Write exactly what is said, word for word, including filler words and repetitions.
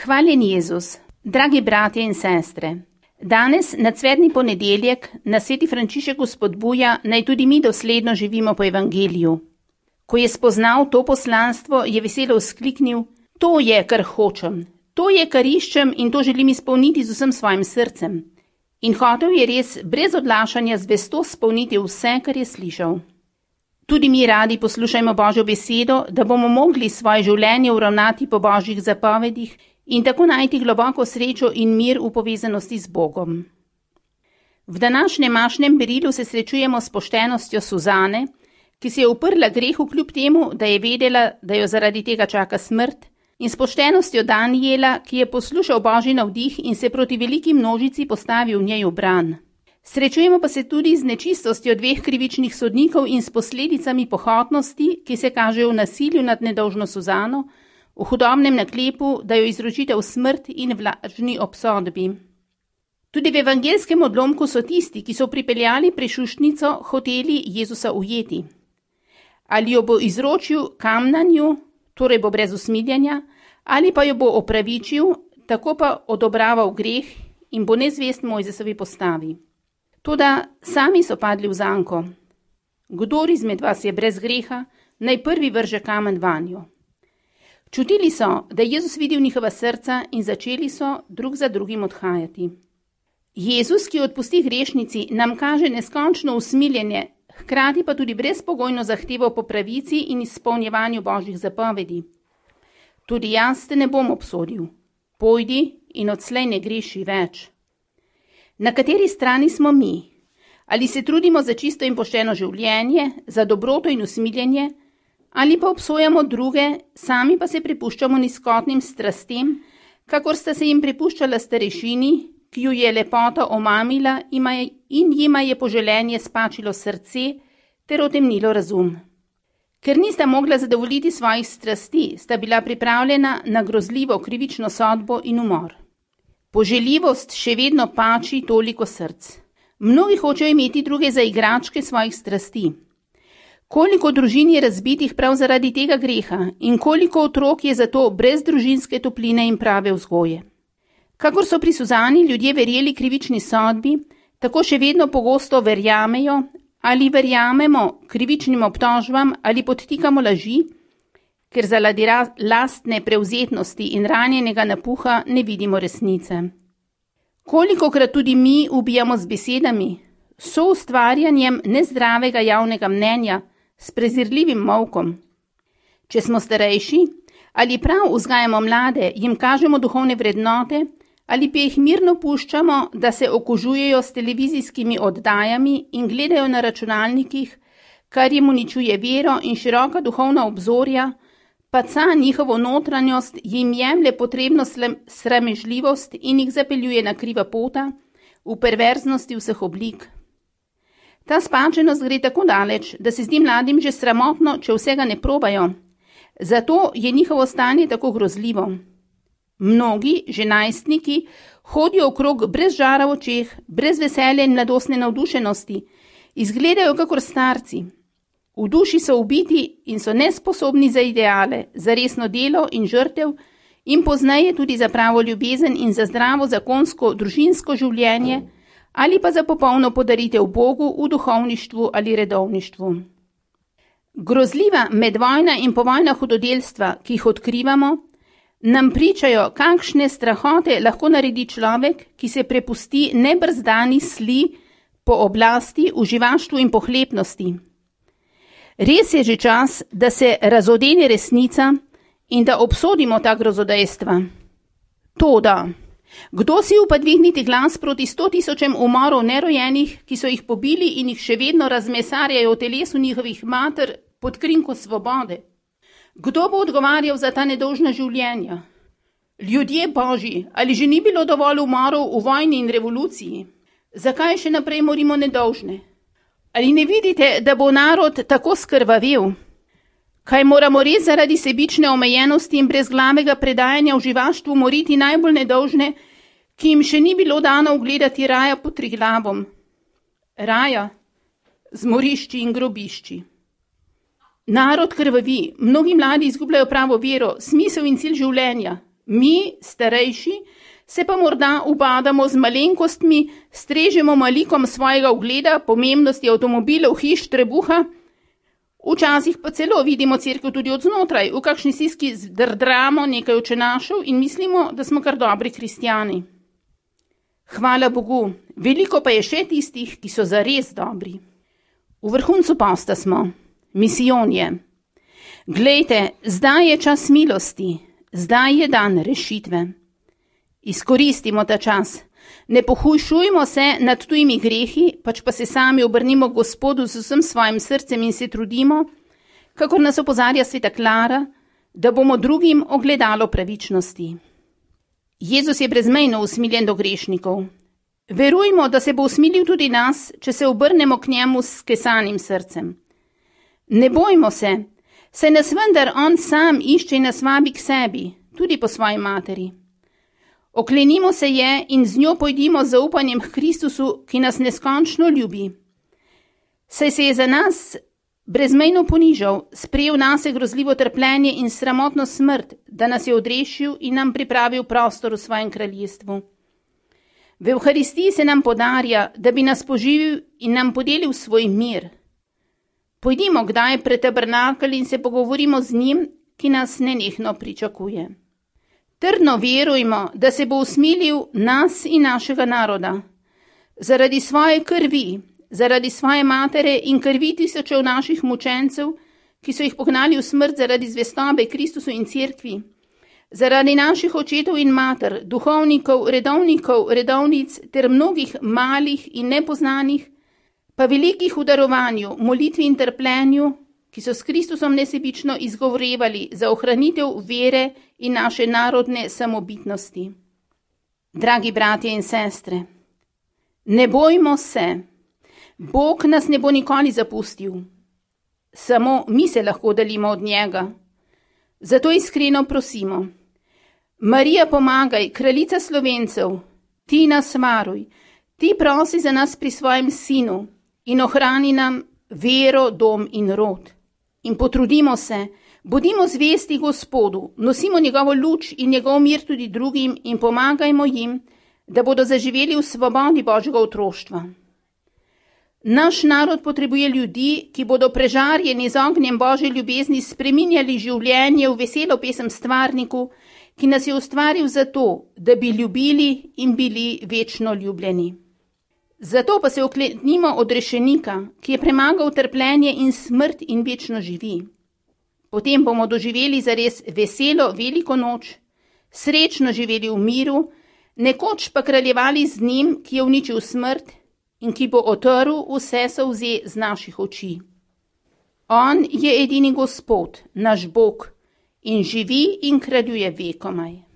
Hvaljen Jezus, dragi bratje in sestre, danes na cvetni ponedeljek nas sveti Frančišek spodbuja, naj tudi mi dosledno živimo po evangeliju. Ko je spoznal to poslanstvo, je veselo vzkliknil: to je, kar hočem, to je, kar iščem in to želim izpolniti z vsem svojim srcem. In hotel je res brez odlašanja zvesto spolniti vse, kar je slišal. Tudi mi radi poslušajmo Božjo besedo, da bomo mogli svoje življenje uravnati po Božjih zapovedih in tako najti globoko srečo in mir v povezanosti z Bogom. V današnjem mašnem berilu se srečujemo s poštenostjo Suzane, ki se je uprla grehu kljub temu, da je vedela, da jo zaradi tega čaka smrt, in s poštenostjo Danijela, ki je poslušal Božji navdih in se proti veliki množici postavil v njej v bran. Srečujemo pa se tudi z nečistostjo dveh krivičnih sodnikov in s posledicami pohotnosti, ki se kažejo v nasilju nad nedolžno Suzano, v hudobnem naklepu, da jo izročite v smrt in vlažni obsodbi. Tudi v evangelskem odlomku so tisti, ki so pripeljali prešuštnico, hoteli Jezusa ujeti. Ali jo bo izročil kamnanju, torej bo brez usmiljenja, ali pa jo bo opravičil, tako pa odobraval greh in bo nezvest Mojzesovi postavi. Toda sami so padli v zanko. Kdor izmed vas je brez greha, naj prvi vrže kamen vanjo. Čutili so, da je Jezus videl njihova srca in začeli so drug za drugim odhajati. Jezus, ki odpusti grešnici, nam kaže neskončno usmiljenje, hkrati pa tudi brezpogojno zahtevo po pravici in izpolnjevanju Božjih zapovedi. Tudi jaz te ne bom obsodil. Pojdi in odslej ne greši več. Na kateri strani smo mi? Ali se trudimo za čisto in pošteno življenje, za dobroto in usmiljenje, ali pa obsojamo druge, sami pa se prepuščamo nizkotnim strastem, kakor sta se jim prepuščala starešini, ki ju je lepota omamila in jima je poželenje spačilo srce ter otemnilo razum. Ker nista mogla zadovoljiti svojih strasti, sta bila pripravljena na grozljivo krivično sodbo in umor. Poželjivost še vedno pači toliko src. Mnogi hočejo imeti druge za igračke svojih strasti. Koliko družin je razbitih prav zaradi tega greha in koliko otrok je zato brez družinske topline in prave vzgoje. Kakor so pri Suzani ljudje verjeli krivični sodbi, tako še vedno pogosto verjamejo ali verjamemo krivičnim obtožbam ali podtikamo laži, ker zaradi lastne prevzetnosti in ranjenega napuha ne vidimo resnice. Kolikokrat tudi mi ubijamo z besedami, soustvarjanjem nezdravega javnega mnenja, s prezirljivim molkom. Če smo starejši, ali prav vzgajamo mlade, jim kažemo duhovne vrednote, ali pa jih mirno puščamo, da se okužujejo s televizijskimi oddajami in gledajo na računalnikih, kar jim uničuje vero in široka duhovna obzorja, paca njihovo notranjost, jim jemlje potrebno sramežljivost in jih zapeljuje na kriva pota, v perverznosti vseh oblik. Ta spačenost gre tako daleč, da se zdi mladim že sramotno, če vsega ne probajo. Zato je njihovo stanje tako grozljivo. Mnogi, že najstniki, hodijo okrog brez žara v očeh, brez veselja in mladostne navdušenosti, izgledajo kakor starci. V duši so ubiti in so nesposobni za ideale, za resno delo in žrtev in pozneje tudi za pravo ljubezen in za zdravo zakonsko družinsko življenje ali pa za popolno podaritev Bogu v duhovništvu ali redovništvu. Grozljiva medvojna in povojna hudodelstva, ki jih odkrivamo, nam pričajo, kakšne strahote lahko naredi človek, ki se prepusti nebrzdani sli po oblasti, uživaštvu in pohlepnosti. Res je že čas, da se razodene resnica in da obsodimo ta grozodejstva. Toda, kdo si upa dvigniti glas proti sto tisočem umorov nerojenih, ki so jih pobili in jih še vedno razmesarjajo v telesu njihovih mater pod krinko svobode? Kdo bo odgovarjal za ta nedolžna življenja? Ljudje Božji, ali že ni bilo dovolj umorov v vojni in revoluciji? Zakaj še naprej morimo nedolžne? Ali ne vidite, da bo narod tako skrvavel? Kaj moramo res zaradi sebične omejenosti in brezglavega predajanja v živaštvu moriti najbolj nedolžne, ki jim še ni bilo dano ugledati raja pod Triglavom? Raja z morišči in grobišči. Narod krvavi, mnogi mladi izgubljajo pravo vero, smisel in cilj življenja. Mi, starejši, se pa morda ubadamo z malenkostmi, strežemo malikom svojega ugleda, pomembnosti avtomobilov, hiš, trebuha, včasih pa celo vidimo cerkev tudi od znotraj, v kakšni stiski zdrdramo nekaj učenašev in mislimo, da smo kar dobri kristjani. Hvala Bogu, veliko pa je še tistih, ki so zares dobri. V vrhuncu posta smo, misijonje. Glejte, zdaj je čas milosti, zdaj je dan rešitve. Izkoristimo ta čas, ne pohujšujmo se nad tujimi grehi, pač pa se sami obrnimo k Gospodu z vsem svojim srcem in se trudimo, kakor nas opozarja sveta Klara, da bomo drugim ogledalo pravičnosti. Jezus je brezmejno usmiljen do grešnikov. Verujmo, da se bo usmilil tudi nas, če se obrnemo k njemu s kesanim srcem. Ne bojmo se, saj nas vendar on sam išče in nas vabi k sebi, tudi po svoji materi. Oklenimo se je in z njo pojdimo z zaupanjem k Kristusu, ki nas neskončno ljubi. Saj se je za nas brezmejno ponižal, sprejel nase grozljivo trpljenje in sramotno smrt, da nas je odrešil in nam pripravil prostor v svojem kraljestvu. V Evharistiji se nam podarja, da bi nas poživil in nam podelil svoj mir. Pojdimo kdaj pred tabernakelj in se pogovorimo z njim, ki nas nenehno pričakuje. Trdno verujmo, da se bo usmilil nas in našega naroda. Zaradi svoje krvi, zaradi svoje matere in krvi tisočev naših mučencev, ki so jih pognali v smrt zaradi zvestobe Kristusu in cerkvi, zaradi naših očetov in mater, duhovnikov, redovnikov, redovnic ter mnogih malih in nepoznanih, pa velikih v darovanju, molitvi in trpljenju, ki so s Kristusom nesebično izgovorevali za ohranitev vere in naše narodne samobitnosti. Dragi bratje in sestre, ne bojmo se, Bog nas ne bo nikoli zapustil, samo mi se lahko delimo od njega. Zato iskreno prosimo, Marija pomagaj, kraljica Slovencev, ti nas varuj, ti prosi za nas pri svojem sinu in ohrani nam vero, dom in rod. In potrudimo se, bodimo zvesti Gospodu, nosimo njegovo luč in njegov mir tudi drugim in pomagajmo jim, da bodo zaživeli v svobodi Božjega otroštva. Naš narod potrebuje ljudi, ki bodo prežarjeni z ognjem Božje ljubezni spreminjali življenje v veselo pesem stvarniku, ki nas je ustvaril zato, da bi ljubili in bili večno ljubljeni. Zato pa se oklenimo odrešenika, ki je premagal trpljenje in smrt in večno živi. Potem bomo doživeli zares veselo veliko noč, srečno živeli v miru, nekoč pa kraljevali z njim, ki je uničil smrt in ki bo otrl vse solze z naših oči. On je edini Gospod, naš Bog, in živi in kraljuje vekomaj.